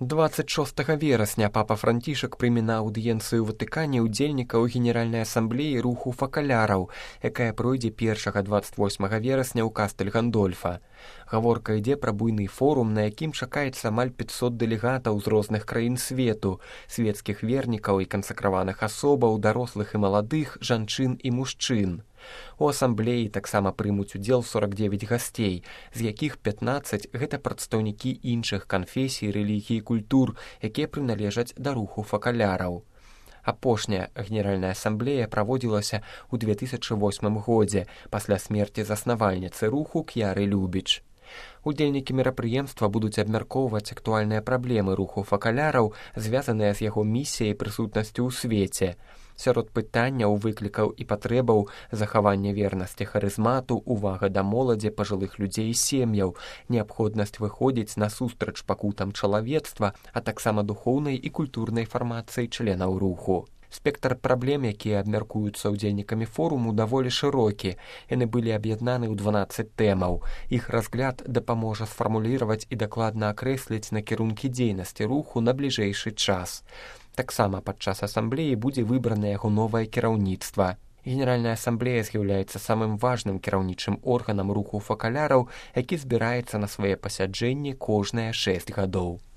26 верасня папа Францішак прыме на аўдыенцыю ў Ватыкане ўдзельнікаў Генеральнай асамблеі руху факаляраў, якая пройдзе 1-28 верасня ў Кастэль Гандольфа. Гаворка ідзе пра буйны форум, на якім чакаецца амаль 500 дэлегатаў з розных краін свету, свецкіх вернікаў і кансакраваных асобаў, дарослых і маладых, жанчын і мужчын. У асамблеі таксама прымуць удзел 49 гасцей, з якіх 15 гэта прадстаўнікі іншых канфесій, рэлігій і культур, якія прыналежаць да руху факаляраў. Апошняя Генеральная асамблея праводзілася ў 2008 годзе пасля смерці заснавальніцы руху К'яры Любіч. Удзельнікі мерапрыемства будуць абмяркоўваць актуальныя праблемы руху факаляраў, звязаныя з яго місіяй і прысутнасцю ў свеце. Сярод пытанняў, выклікаў і патрэбаў захавання вернасці харызмату, увага да моладзі, пажылых людзей і сем'яў, неабходнасць выходзіць насустрач пакутам чалавецтва, а таксама духоўнай і культурнай фармацыі членаў руху. Спектр праблем, якія абмяркуюцца ўдзельнікамі форуму, даволі шырокі. Яны былі аб'яднаны ў 12 тэмаў. Іх разгляд дапаможа сфармуліраваць і дакладна акрэсліць накірункі дзейнасці руху на бліжэйшы час. Таксама падчас асамблеі будзе выбрана яго новае кіраўніцтва. Генеральная асамблея з'яўляецца самым важным кіраўнічым органам руху факаляраў, які збіраецца на свае пасяджэнні кожныя 6 гадоў.